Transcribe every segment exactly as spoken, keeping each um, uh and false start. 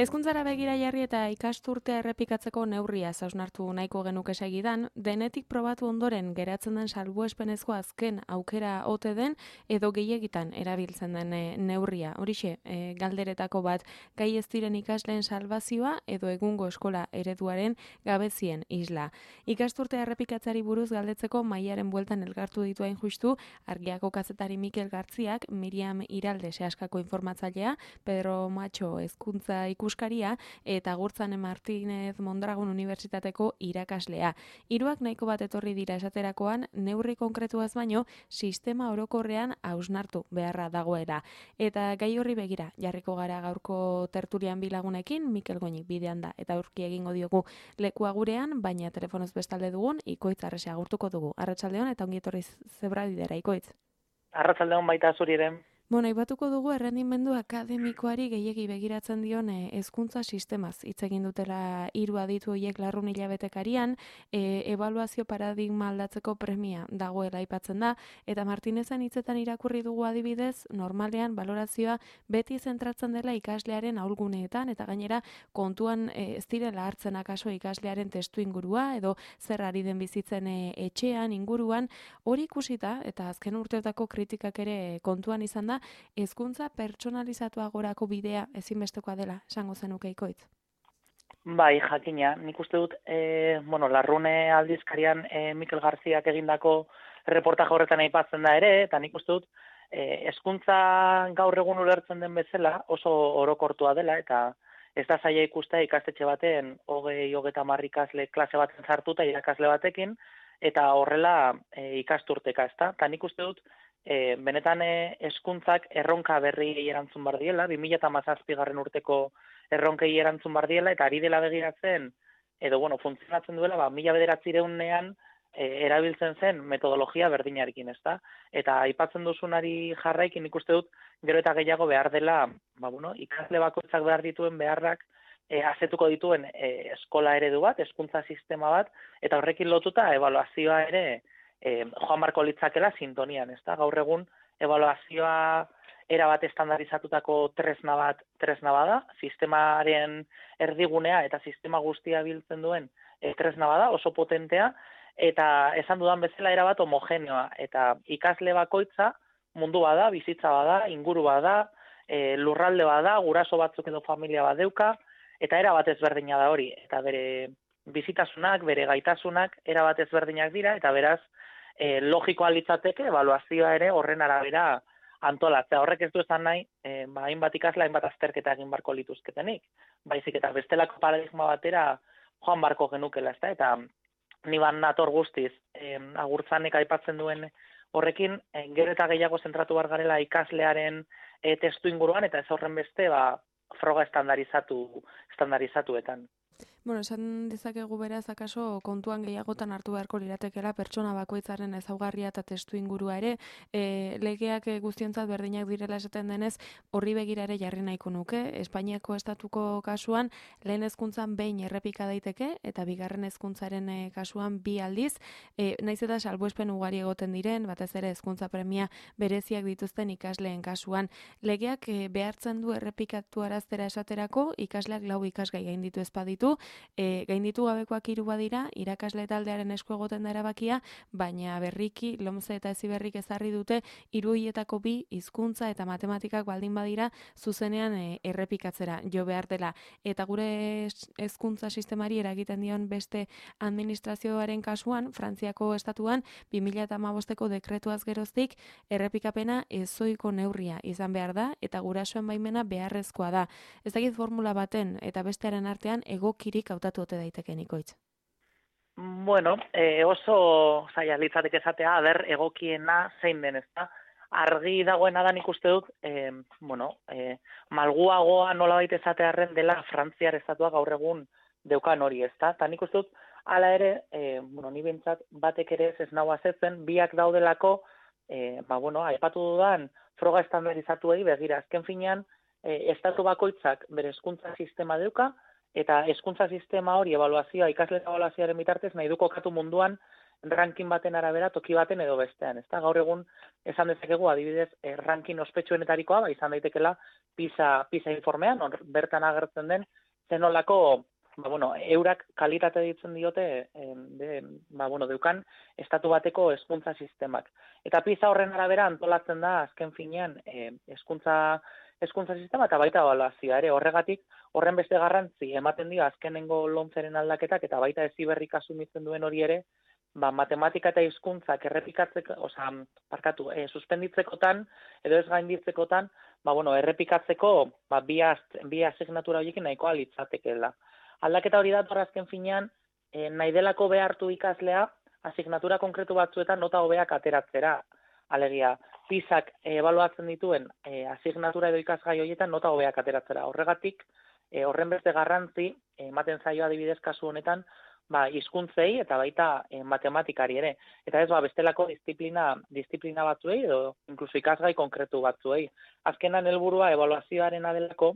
Hezkuntzara begira jarri eta ikasturtea errepikatzeko neurria hausnartu nahiko genuke segidan, denetik probatu ondoren geratzen den salbuespenezko azken aukera ote den edo gehiegitan erabiltzen den e, neurria. Horixe, e, galderetako bat, gai ez diren ikasleen salbazioa edo egungo eskola ereduaren gabezien isla. Ikasturtea errepikatzari buruz galdetzeko mailaren bueltan elkartu ditu hain justu, Argiako kazetari Mikel Gartziak, Miriam Iralde sehaskako informatzailea, Pedro Macho hezkuntza ikuskaria eta Gurtzane Martínez Mondragon Unibertsitateko irakaslea. Hiruak nahiko bat etorri dira esaterakoan, neurri konkretuaz baino, sistema orokorrean hausnartu beharra dagoela. Eta gai horri begira, jarriko gara gaurko tertulian bilagunekin, Mikel Goñi bidean da, eta aurki egingo diogu lekua gurean, baina telefonoz bestalde dugun, Ikoitz Arrese agurtuko dugu. Arratsaldeon eta ongi etorri Zebra-bidera, Ikoitz. Arratsaldeon baita zuri ere. Bueno, aipatuko dugu errendimendu akademikoari gehiegi begiratzen dion hezkuntza sistemaz. Hitz egin dutela hiru aditu horiek larrun hilabetekarian, e, ebaluazio paradigma aldatzeko premia dagoela aipatzen da, eta Martinezen hitzetan irakurri dugu adibidez, normalean balorazioa beti zentratzen dela ikaslearen ahulguneetan, eta gainera kontuan e, ez direla hartzen akaso ikaslearen testu ingurua, edo zer ari den bizitzen e, etxean, inguruan, hori ikusita, eta azken urteotako kritikak ere kontuan izan da, hezkuntza pertsonalizatuagorako bidea ezinbestekoa dela, esango zenuke Ikoitz. Bai, jakina, nik uste dut, e, bueno, larrune aldizkarian e, Mikel Garziak egindako reportaje horretan aipatzen da ere, eta nik uste dut, e, hezkuntza gaur egun ulertzen den bezala oso orokortua dela, eta ez da zaila ikustea ikastetxe baten hogei, hogeita hamar ikasle klase baten sartuta irakasle batekin, eta horrela e, ikasturteka, ezta? Eta nik uste dut, E, benetan hezkuntzak erronka berri erantzun bar diela, bi mila hamazazpigarren urteko erronkei erantzun bar diela, eta ari dela begiratzen, edo bueno, funtzionatzen duela, ba, mila bederatzirehunean e, erabiltzen zen metodologia berdinarekin, ezta? Eta aipatzen duzunari jarraikin ikuste dut, gero eta gehiago behar dela, ba, bueno, ikasle bakoitzak behar dituen beharrak, e, azetuko dituen e, eskola eredu bat, hezkuntza sistema bat, eta horrekin lotuta ebaluazioa ere, E, joan marko litzakela sintonian, ezta? Gaur egun ebaluazioa erabat estandarizatutako tresna bat tresna bada, sistemaren erdigunea eta sistema guztia biltzen duen e, tresna bada, oso potentea, eta esan dudan bezala erabat homogeneoa, eta ikasle bakoitza mundu bada, bizitza bada, inguru bada, e, lurralde bada, guraso batzuk edo familia bat deuka, eta erabat ezberdina da hori, eta bere bizitasunak, bere gaitasunak erabat ezberdinak dira, eta beraz, E, logikoa litzateke, ebaluazioa ere horren arabera antolatzea. Horrek ez du esan nahi, e, ba, hainbat ikasle, hainbat azterketa egin barko lituzketenik. Baizik eta bestelako paradigma batera joan barko genukela, ezta? Eta ni ban nator guztiz, e, Agurtzanek aipatzen duen horrekin, e, gero eta gehiago zentratu bar garela ikaslearen e, testu inguruan, eta ez horren beste, ba, froga estandarizatu, estandarizatuetan. Bueno, esan dezakegu beraz, akaso kontuan gehiagotan hartu beharko liratekela pertsona bakoitzaren ezaugarria eta testu ingurua ere, e, legeak guztiontzat berdinak direla esaten denez, horri begira ere jarri nahiko nuke. Espainiako estatuko kasuan, lehen hezkuntzan behin errepika daiteke, eta bigarren hezkuntzaren e, kasuan bi aldiz, e, naiz eta salbuespen ugari egoten diren, batez ere hezkuntza premia bereziak dituzten ikasleen kasuan. Legeak e, behartzen du errepikatu araztera esaterako, ikasleak lau ikasgai gainditu ezpaditu, E, gainditu gabekoak hiru badira, irakasle taldearen esku egoten da erabakia, baina berriki, lomze eta heziberrik ezarri dute, hiru horietako bi hizkuntza eta matematikak baldin badira, zuzenean e, errepikatzera jo behar dela. Eta gure hezkuntza sistemari eragiten dion beste administrazioaren kasuan, Frantziako estatuan, bi mila hamabosteko dekretuaz geroztik, errepikapena ezoiko neurria izan behar da, eta gurasoen baimena beharrezkoa da. Ez dakit formula baten eta bestearen artean egokirik hautatu ote daiteke Ikoitz. Bueno, e, oso zaila litzateke esatea, aber egokiena zein den, ezta? Argi dagoena da nik uste dut, e, bueno, e, malguagoa nolabait esatearren dela Frantziar estatua gaur egun deukan hori, ezta? Ta nik uste dut, hala ere, e, bueno, ni behintzat batek ere ez nau azetzen, biak daudelako, e, ba, bueno, aipatu dudan, froga estandarizatuei begira, azken finean, e, estatu bakoitzak bere hezkuntza sistema deuka, eta hezkuntza sistema hori ebaluazioa, ikasle ebaluazioaren bitartez nahi du kokatu munduan ranking baten arabera toki baten edo bestean, ezta? Gaur egun esan dezakegu adibidez eh, ranking ospetsuenetarikoa ba izan daitekela PISA PISA informean, or, bertan agertzen den zenolako ba, bueno, eurak kalitate ditzen diote eh, de, ba, bueno, deukan estatu bateko hezkuntza sistemak. Eta PISA horren arabera antolatzen da azken finean eh, hezkuntza hezkuntza sistema eta baita ebaluazioa ere horregatik horren beste garrantzi ematen dio azkenengo lomceren aldaketak eta baita heziberrik asumitzen duen hori ere ba, matematika eta hizkuntzak errepikatzeko, osea, parkatu, eh, suspenditzekotan edo ez gainditzekotan, ba, bueno, errepikatzeko ba, bi, bi asignatura horiekin nahikoa litzatekeela. Aldaketa hori da azken finean, eh, nahi delako behartu ikaslea, asignatura konkretu batzuetan nota hobeak ateratzera. Alegia, PISak ebaluatzen dituen eh, asignatura edo ikasgai horietan nota hobeak ateratzera. Horregatik, eh, horren beste garrantzi, ematen zaio adibidez kasu honetan, ba, hizkuntzei eta baita eh, matematikari ere. Eta ez ba, bestelako disiplina, disiplina batzuei edo inkluso ikasgai konkretu batzuei. Azkenan helburua ebaluazioaren adelako,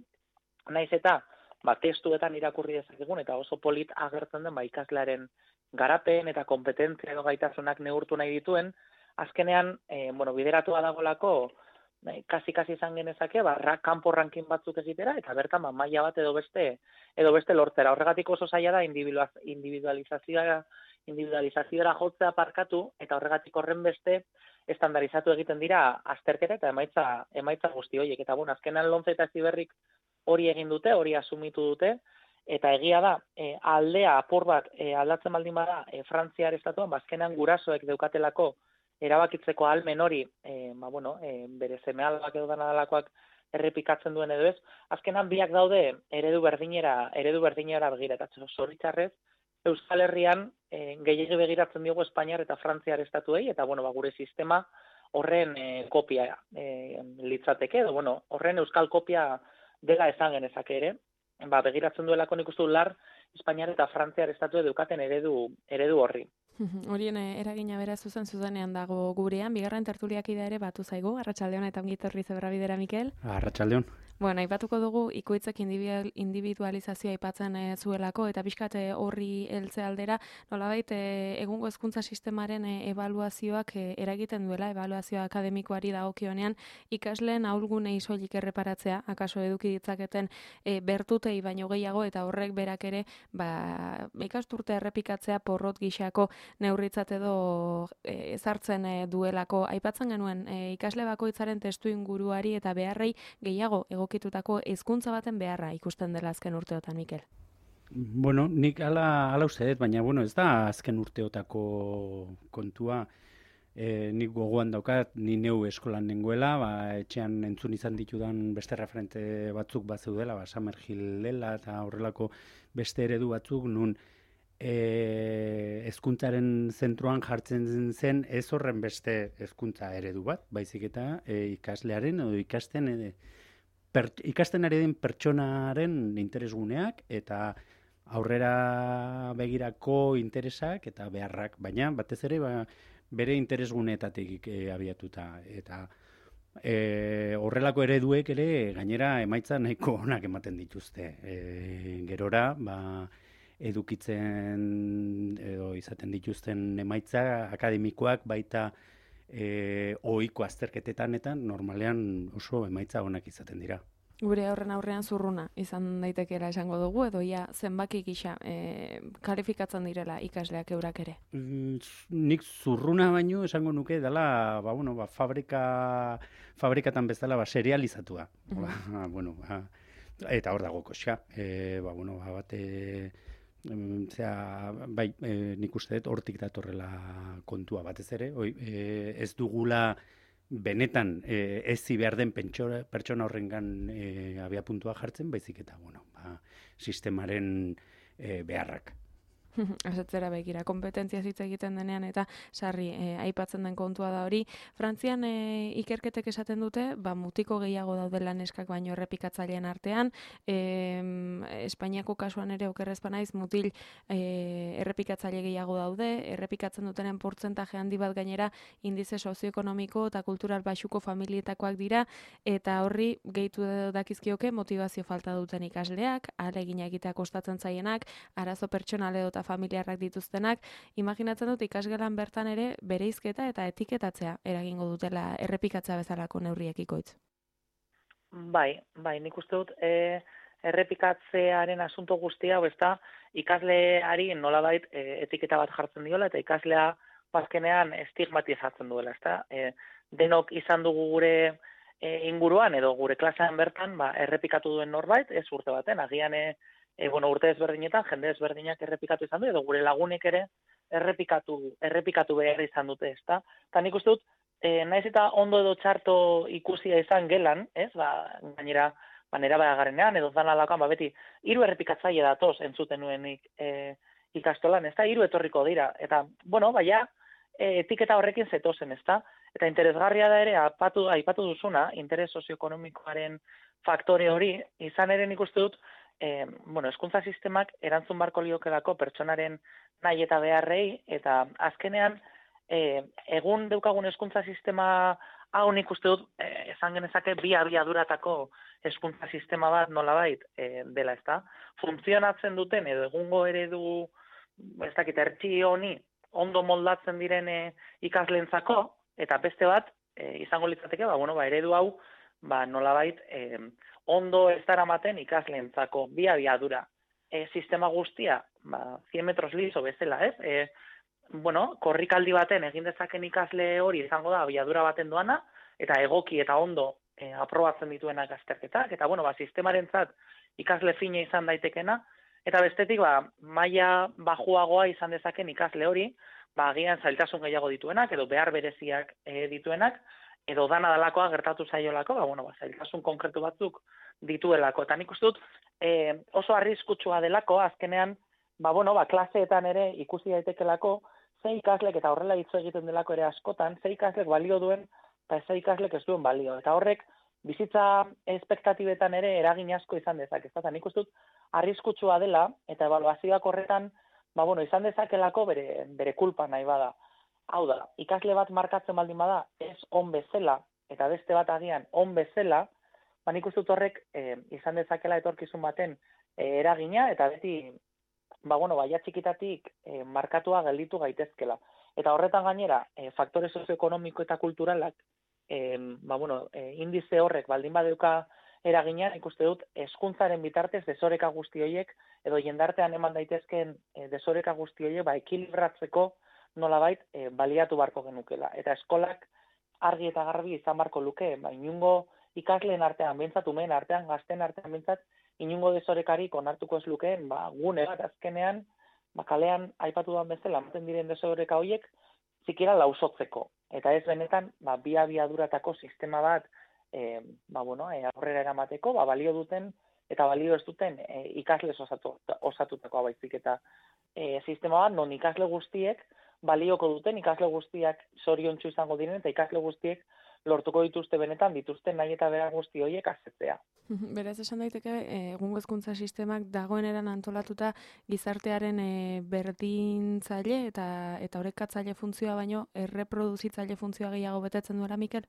naiz eta ba, testuetan irakurri dezakegun eta oso polit agertzen den ba, ikaslearen garapen eta kompetentzia edo gaitasunak neurtu nahi dituen, azkenean, eh, bueno, bideratua dagolako, kasi-kasi izan genezake, ba, kanpo ranking batzuk egitera, eta bertan, ba, maila bat edo beste, edo beste lortzera. Horregatik oso zaila da individualizazioa, individualizazioa jotzea parkatu, eta horregatik horren beste estandarizatu egiten dira azterketa eta emaitza, emaitza guzti horiek. Eta, bueno, azkenan lomce eta heziberrik hori egin dute, hori asumitu dute, eta egia da, e, aldea apur bat e, aldatzen baldin bada e, Frantziar estatuan, ba, azkenan gurasoek deukatelako erabakitzeko ahalmen hori, e, ba, bueno, e, bere seme alabak edo danadalakoak errepikatzen duen edo ez, azkenan biak daude eredu berdinera, eredu berdinera begira, eta zoritxarrez, Euskal Herrian e, gehiegi begiratzen diogu Espainiar eta Frantziar estatuei, eta bueno, ba, gure sistema horren e, kopia e, litzateke, edo bueno, horren euskal kopia dela esan genezake ere, ba, begiratzen duelako nik uste du lar Espainiar eta Frantziar estatu edukaten eredu, eredu horri. Horien eragina bera zuzen zuzenean dago gurean, bigarren tertuliak ere batu zaigu, Arratsaldeon eta ongi etorri zebra bidera, Mikel. Arratsaldeon. Bueno, aipatuko dugu ikoitzek individualizazioa aipatzen e, zuelako eta pixkat horri heltze aldera, nolabait e, egungo hezkuntza sistemaren e, ebaluazioak e, eragiten duela, ebaluazio akademikoari dagokionean ikasleen ahulgunei soilik erreparatzea, akaso eduki ditzaketen e, bertutei baino gehiago eta horrek berak ere, ba, ikasturte errepikatzea porrot gixako neurritzat edo e, ezartzen e, duelako. Aipatzen genuen e, ikasle bakoitzaren testu inguruari eta beharrei gehiago egokitutako hezkuntza baten beharra ikusten dela azken urteotan, Mikel. Bueno, nik ala, ala uste dut, baina bueno, ez da azken urteotako kontua. E, nik gogoan daukat, ni neu eskolan nengoela, ba, etxean entzun izan ditudan beste referente batzuk bat zeudela, ba, Summerhill dela eta horrelako beste eredu batzuk, nun E, hezkuntzaren zentroan jartzen zen ez horren beste hezkuntza eredu bat, baizik eta e, ikaslearen edo ikasten e, per, ikasten ari den pertsonaren interesguneak eta aurrera begirako interesak eta beharrak, baina batez ere ba, bere interesguneetatik e, abiatuta eta e, horrelako ereduek ere gainera emaitza nahiko onak ematen dituzte. E, gerora, ba edukitzen edo izaten dituzten emaitza akademikoak baita e, ohiko azterketetan eta normalean oso emaitza onak izaten dira. Gure horren aurrean zurruna izan daitekeela esango dugu edo ia zenbaki gisa e, kalifikatzen direla ikasleak eurak ere. Mm, nik zurruna baino esango nuke dela ba, bueno, ba, fabrika, fabrikatan bezala ba, serializatua. Mm-hmm. ba, bueno, ba, eta hor dago koxa. E, ba, bueno, ba, bate... Zera, bai, e, nik uste dut hortik datorrela kontua batez ere, oi, e, ez dugula benetan e, ezi behar den pentsora, pertsona horrengan e, abiapuntua jartzen, baizik eta, bueno, ba, sistemaren e, beharrak. Asetzera begira, kompetentzia hitz egiten denean eta sarri e, aipatzen den kontua da hori. Frantzian e, ikerketek esaten dute, ba, mutiko gehiago daudela neskak baino errepikatzaileen artean, e, Espainiako kasuan ere okerrezpa naiz mutil e, errepikatzaile gehiago daude, errepikatzen dutenen portzentaje handi bat gainera indize sozioekonomiko eta kultural baxuko familietakoak dira, eta horri gehitu dakizkioke motivazio falta duten ikasleak, ahalegina egitea kostatzen zaienak, arazo pertsonal edo familiarrak dituztenak, imaginatzen dut ikasgelan bertan ere bereizketa eta etiketatzea eragingo dutela errepikatzea bezalako neurriek ikoitz. Bai, bai, nik uste dut e, errepikatzearen asunto guztia, hau ez da, ikasleari nolabait e, etiketa bat jartzen diola, eta ikaslea bazkenean estigmatizatzen duela, ez da? E, denok izan dugu gure e, inguruan, edo gure klasean bertan, ba, errepikatu duen norbait, ez urte baten, agian e, e, bueno, urte ezberdinetan, jende ezberdinak errepikatu izan du, edo gure lagunek ere errepikatu, errepikatu behar izan dute, ez da? Eta nik uste dut, E, naiz eta ondo edo txarto ikusia izan gelan, ez, ba, gainera, ba, nera garenean, edo zan alakoan, ba, beti, hiru errepikatzaile datoz entzuten nuenik e, ikastolan, ez da, hiru etorriko dira, eta, bueno, baina, e, etiketa horrekin zetozen, ez da, eta interesgarria da ere, apatu, aipatu duzuna, interes sozioekonomikoaren faktore hori, izan ere nik uste dut, e, bueno, hezkuntza sistemak erantzun barko liokelako pertsonaren nahi eta beharrei, eta azkenean, E, egun daukagun hezkuntza sistema hau nik uste dut e, esan genezake bi abiaduratako hezkuntza sistema bat nolabait e, dela, ezta? Funtzionatzen duten edo egungo eredu ez dakit ertzi honi ondo moldatzen diren e, ikasleentzako eta beste bat e, izango litzateke ba bueno ba eredu hau ba nolabait e, ondo ez daramaten ikasleentzako bi abiadura e, sistema guztia ba cien metros liso bezala, ez? E, bueno, korrikaldi baten egin dezaken ikasle hori izango da abiadura baten doana, eta egoki eta ondo e, aprobatzen dituenak azterketak, eta bueno, ba, sistemarentzat ikasle fina izan daitekena, eta bestetik, ba, maila bajuagoa izan dezaken ikasle hori, ba, agian zailtasun gehiago dituenak, edo behar bereziak e, dituenak, edo dana dalakoa gertatu zaiolako, ba, bueno, ba, zailtasun konkretu batzuk dituelako. Eta nik uste dut, e, oso arriskutsua delako, azkenean, ba, bueno, ba, klaseetan ere ikusi daitekelako, ze ikaslek eta horrela hitz egiten delako ere askotan, ze ikaslek balio duen, eta ze ikaslek ez duen balio. Eta horrek, bizitza espektatibetan ere eragin asko izan dezak. Eta nik uste dut, arriskutsua dela, eta ebaluazioak horretan, ba, bueno, izan dezakelako bere, bere kulpa nahi bada. Hau da, ikasle bat markatzen baldin bada, ez on bezala, eta beste bat agian on bezala, ba, nik uste dut horrek e, izan dezakela etorkizun baten e, eragina, eta beti, ba, bueno, baia txikitatik e, markatua gelditu gaitezkela. Eta horretan gainera, e, faktore sozioekonomiko eta kulturalak, e, ba, bueno, e, indize horrek baldin badeuka eragina, ikuste dut, hezkuntzaren bitartez desoreka guzti horiek, edo jendartean eman daitezken e, desoreka guzti horiek, ba, ekilibratzeko nolabait e, baliatu barko genukela. Eta eskolak argi eta garbi izan barko luke, ba, inungo ikasleen artean, bintzat umeen artean, gazten artean bintzat, inungo desorekarik onartuko ez lukeen, ba, gune bat azkenean, ba, kalean aipatu duan bezala, ematen diren desoreka horiek, zikira lausotzeko. Eta ez benetan, ba, bi abiaduratako sistema bat, e, ba, bueno, e, aurrera eramateko, ba, balio duten, eta balio ez duten e, ikasle osatu, osatutako baizik eta e, sistema bat, non ikasle guztiek, balioko duten, ikasle guztiak zoriontsu izango diren, eta ikasle guztiek lortuko dituzte benetan, dituzte nahi eta bera guzti horiek azetzea. Beraz, esan daiteke, egungo hezkuntza sistemak dagoen eran antolatuta gizartearen e, berdintzaile eta eta orekatzaile funtzioa baino erreproduzitzaile funtzioa gehiago betetzen duela, Mikel?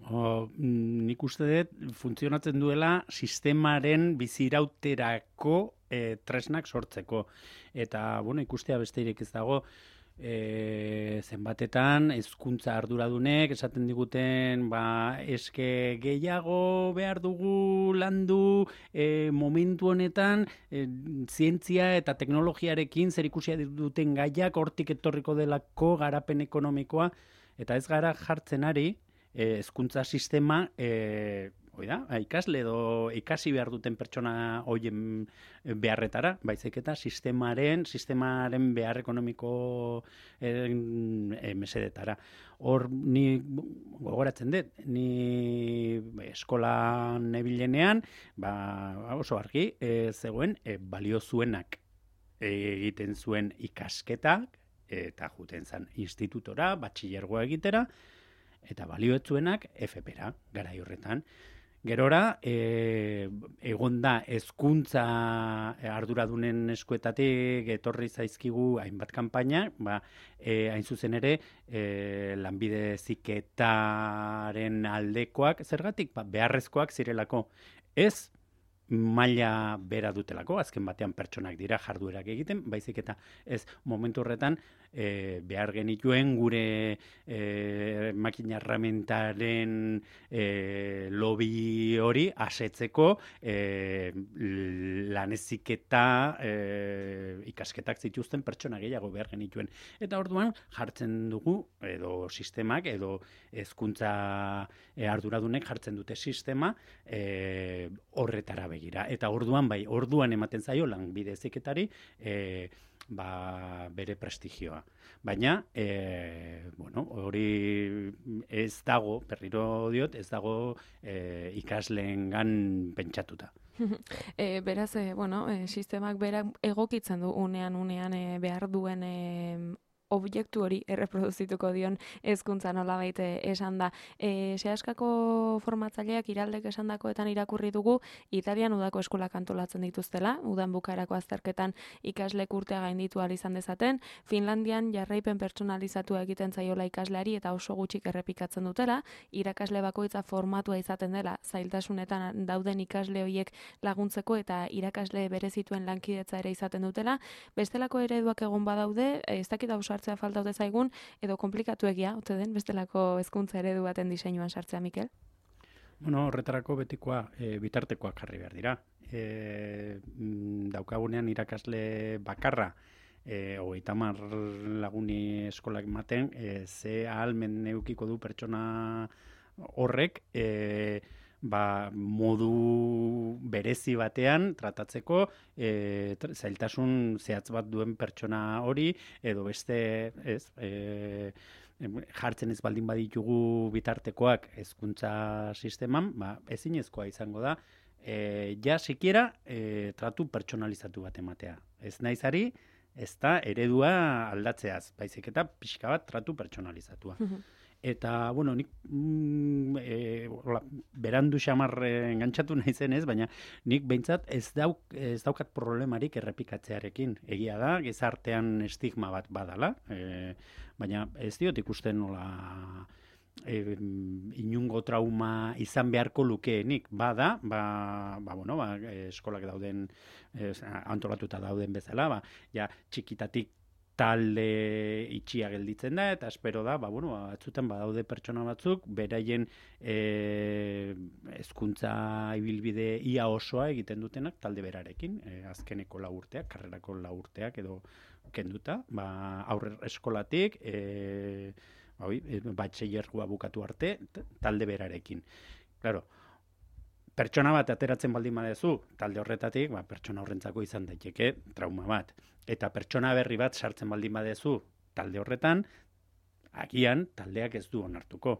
O, nik uste dut funtzionatzen duela sistemaren bizirauterako e, tresnak sortzeko. Eta, bueno, ikustea besterik ez dago, E, zenbatetan hezkuntza arduradunek esaten diguten ba, eske gehiago behar dugu landu e, momentu honetan e, zientzia eta teknologiarekin zerikusia duten gaiak hortik etorriko delako garapen ekonomikoa eta ez gara jartzen ari hezkuntza sistema e, Oida, ikasle edo ikasi behar duten pertsona hoien beharretara, baizik eta sistemaren, sistemaren behar ekonomiko e, e, mesedetara. Hor, ni gogoratzen dut, ni eskolan nebilenean, ba, oso argi, e, zegoen e, balio zuenak egiten zuen ikasketak, eta juten zen institutora, batxillergoa egitera, eta balio ez zuenak F P-ra, garai horretan. Gerora, e, egon da hezkuntza arduradunen eskuetatik etorri zaizkigu hainbat kanpaina, ba, e, hain zuzen ere, e, lanbide heziketaren aldekoak, zergatik, ba, beharrezkoak zirelako. Ez maila bera dutelako, azken batean pertsonak dira jarduerak egiten, baizik eta ez momentu horretan e, behar genituen gure e, makina erramentaren e, lobby hori asetzeko e, laneziketa e, ikasketak zituzten pertsona gehiago behar genituen. Eta orduan jartzen dugu, edo sistemak, edo hezkuntza e, arduradunek jartzen dute sistema e, horretara begira. Eta orduan, bai, orduan ematen zaio lanbide heziketari e, ba, bere prestigioa. Baina, e, bueno, hori ez dago, berriro diot, ez dago e, ikasleengan pentsatuta. E, beraz, e, bueno, e, sistemak berak egokitzen du unean unean e, behar duen e, objektu hori erreproduzituko dion hezkuntza nolabait esan da. E, Seaskako formatzaileak iraldek esandakoetan irakurri dugu Italian udako eskolak antolatzen dituztela, udan bukaerako azterketan ikaslek urtea gainditu ahal izan dezaten, Finlandian jarraipen pertsonalizatua egiten zaiola ikasleari eta oso gutxik errepikatzen dutela, irakasle bakoitza formatua izaten dela, zailtasunetan dauden ikasle horiek laguntzeko eta irakasle berezituen lankidetza ere izaten dutela, bestelako ereduak egon badaude, ez dakit ausartzea falta ote zaigun, edo komplikatu egia, ote den, bestelako hezkuntza eredu baten diseinuan sartzea, Mikel? Bueno, horretarako betikoa, e, bitartekoak jarri behar dira. E, daukagunean irakasle bakarra, e, hogeita hamar laguni eskolak ematen, e, ze ahalmen edukiko du pertsona horrek, e, ba, modu berezi batean tratatzeko e, zailtasun zehatz bat duen pertsona hori, edo beste, ez, e, jartzen ez baldin baditugu bitartekoak hezkuntza sisteman, ba, ezinezkoa izango da, e, ja sikiera e, tratu pertsonalizatu bat ematea. Ez naizari, ez da eredua aldatzeaz, baizik eta pixka bat tratu pertsonalizatua. Eta, bueno, nik mm, e, ola, berandu xamar engantzatu nahi zen ez, baina nik behintzat ez, dauk, ez daukat problemarik errepikatzearekin. Egia da, gizartean estigma bat badala, e, baina ez diot ikusten nola e, inungo trauma izan beharko lukeenik. Bada, ba, ba, bueno, ba, eskolak dauden, e, antolatuta dauden bezala, ba, ja, txikitatik talde itxia gelditzen da, eta espero da, ba, bueno, batzutan badaude pertsona batzuk, beraien e, hezkuntza ibilbide ia osoa egiten dutenak talde berarekin, e, azkeneko lau urteak, karrerako lau urteak edo kenduta, ba, aurre eskolatik, e, ba, batxillergoa bukatu arte, talde berarekin. Claro, pertsona bat ateratzen baldin badezu, talde horretatik, ba, pertsona horrentzako izan daiteke trauma bat. Eta pertsona berri bat sartzen baldin badezu talde horretan, agian taldeak ez du onartuko.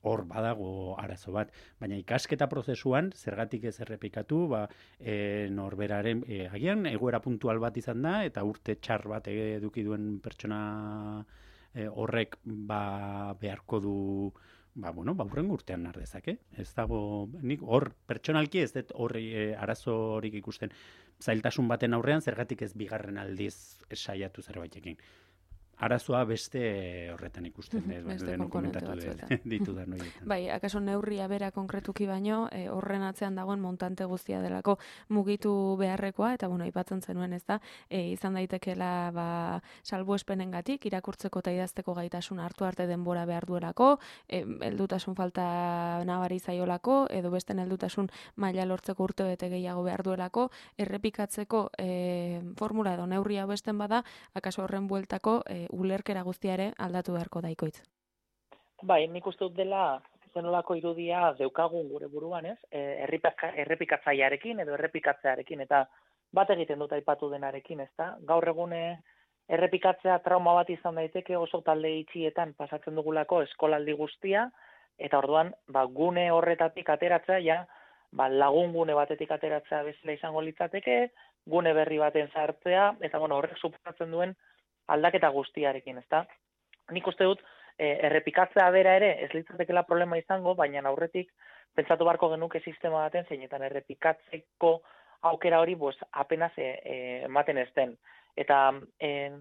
Hor badago arazo bat. Baina ikasketa prozesuan, zergatik ez errepikatu, ba, e, norberaren, e, agian egoera puntual bat izan da, eta urte txar bat eduki duen pertsona e, horrek ba, beharko du ba, bueno, ba, hurrengo urtean nar dezake. Ez dago, nik hor, pertsonalki ez dut horri e, arazo horik ikusten. Zailtasun baten aurrean, zergatik ez bigarren aldiz saiatu zerbaitekin. Arazoa beste horretan ikusten, ez, beste lehen konponente komentatu batzuetan. ditudan horietan. Bai, akaso neurria bera konkretuki baino, e, horren atzean dagoen montante guztia delako mugitu beharrekoa, eta bueno, aipatzen zenuen, ez da, e, izan daitekeela ba, salbuespenengatik, irakurtzeko eta idazteko gaitasun hartu arte denbora behar duelako, e, heldutasun falta nabari zaiolako, edo besten heldutasun maila lortzeko urte bete gehiago behar duelako, errepikatzeko e, formula edo neurria besten bada, akaso horren bueltako e, ulerkera guztia ere aldatu beharko daikoitz. Bai, nik uste dut dela zenolako irudia deukagun gure buruan, ez? E, errepikatzailearekin edo errepikatzearekin, eta bat egiten dut aipatu denarekin, ez da? Gaur egune errepikatzea trauma bat izan daiteke oso talde itxietan pasatzen dugulako eskolaldi guztia, eta orduan ba, gune horretatik ateratzea, ja, ba, lagun gune batetik ateratzea bezala izango litzateke, gune berri baten sartzea, eta bueno, horrek suposatzen duen aldaketa guztiarekin, ezta? Nik uste dut, e, errepikatzea bera ere ez litzatekela problema izango, baina aurretik pentsatu beharko genuke sistema baten zeinetan errepikatzeko aukera hori pues, apenas e, e, ematen ez den. Eta e,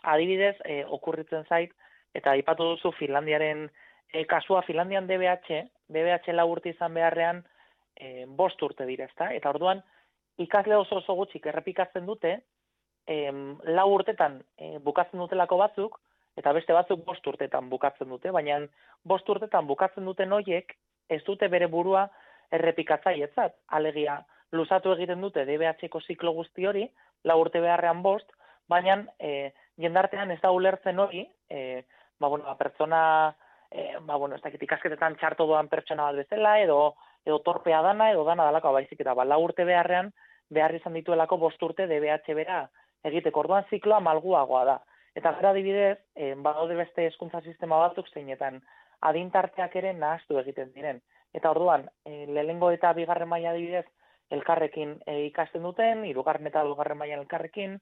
adibidez, e, okurritzen zait, eta aipatu duzu Finlandiaren e, kasua, Finlandian D B H, D B H lau urte izan beharrean, e, bost urte dira, ezta? Eta orduan, ikasle oso oso gutxik errepikatzen dute, em, lau urtetan e, bukatzen dutelako batzuk, eta beste batzuk bost urtetan bukatzen dute, baina bost urtetan bukatzen duten horiek ez dute bere burua errepikatzailetzat. Alegia, luzatu egiten dute D B H-ko ziklo guzti hori, lau urte beharrean bost, baina e, jendartean ez da ulertzen hori, e, ba, bueno, ba, pertsona, e, ba, bueno, ez dakit ikasketetan txarto doan pertsona bat bezala, edo, edo torpea dana, edo dana dalako baizik, eta ba, lau urte beharrean behar izan dituelako bost urte D B H bera egiteko. Orduan zikloa malguagoa da. Eta gara adibidez, e, badaude beste hezkuntza sistema batzuk zeinetan adintarteak ere nahastu egiten diren. Eta orduan, e, lehenengo eta bigarren maila adibidez, elkarrekin e, ikasten duten, hirugarren eta laugarren mailan elkarrekin,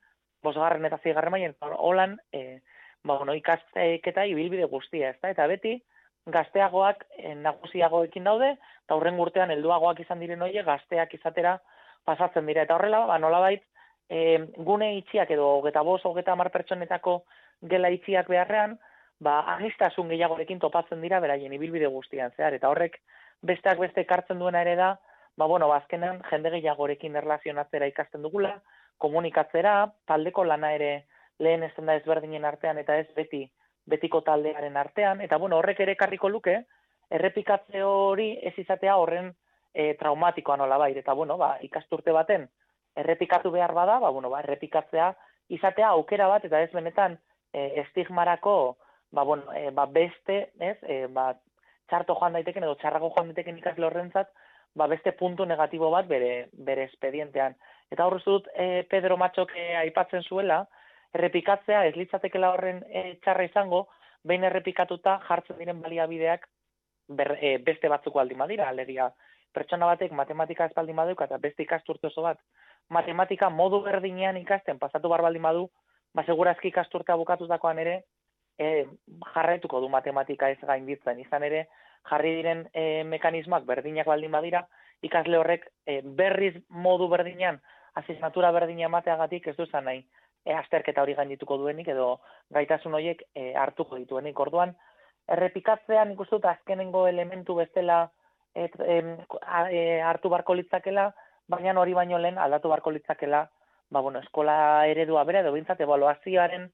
bosgarren eta seigarren mailan, holan, e, ba, bueno, ikasketa ibilbide guztia, ezta? Eta beti, gazteagoak e, nagusiagoekin daude, eta horren urtean helduagoak izan diren horiek gazteak izatera pasatzen dira. Eta horrela, ba, nolabait, e, gune itxiak edo hogeta bost, hogeta hamar pertsonetako gela itxiak beharrean, ba, aniztasun gehiagorekin topatzen dira beraien ibilbide guztian zehar. Eta horrek besteak beste ekartzen duena ere da, ba, bueno, bazkenan jende gehiagorekin erlazionatzera ikasten dugula, komunikatzera, taldeko lana ere lehen ez da ezberdinen artean eta ez beti betiko taldearen artean, eta bueno, horrek ere ekarriko luke, errepikatze hori ez izatea horren e, traumatikoa nolabait, eta bueno, ba, ikasturte baten errepikatu behar bada, ba, bueno, ba, errepikatzea izatea aukera bat, eta ez benetan e, estigmarako, ba, bueno, e, ba, beste, ez, e, ba, txarto joan daiteken edo txarrago joan daiteken ikasle horrentzat, ba, beste puntu negatibo bat bere, bere espedientean. Eta hor dut e, Pedro Matxok e, aipatzen zuela, errepikatzea ez litzatekela horren e, txarra izango, behin errepikatuta jartzen diren baliabideak ber, e, beste batzuk baldin badira, alegia pertsona batek matematika ez baldin baduk, eta beste ikasturte oso bat, matematika modu berdinean ikasten pasatu bar baldin badu, ba, segurazki ikasturtea bukatutakoan ere, e, jarraituko du matematika ez gainditzen, izan ere, jarri diren e, mekanismoak berdinak baldin badira, ikasle horrek e, berriz modu berdinean, asignatura berdina emateagatik ez duzan nahi, e, azterketa hori gaindituko duenik, edo gaitasun horiek e, hartuko dituenik. Orduan, errepikatzean ikusten dut azkenengo elementu bestela et, em, a, e, hartu barko litzakela, baina hori baino lehen aldatu barko litzakela, ba, bueno, eskola eredua bera, edo bintzat, ebaluazioaren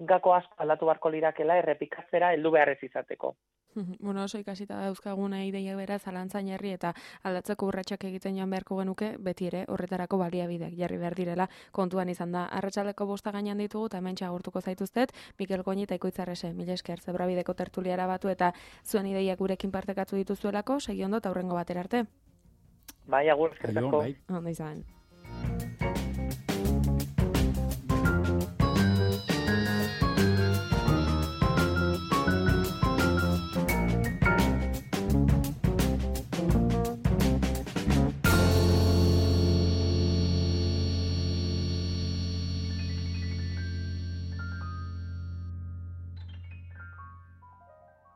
gako asko aldatu barko lirakela errepikatzera heldu behar ez izateko. Bueno, oso ikasita dauzkaguna ideia bera zalantzain herri eta aldatzeko urratsak egiten joan beharko genuke, beti ere horretarako baliabideak jarri behar direla kontuan izan da. Arratsaldeko bosta gainean ditugu eta hementxe agurtuko zaituztet, Mikel Goñi eta Ikoitzarrese, mila esker Zebrabideko tertuliara batu eta zuen ideiak gurekin partekatu dituzuelako, segi ondo eta hurrengo batera arte. Bai, agur, eskerrik asko. Ondo izan.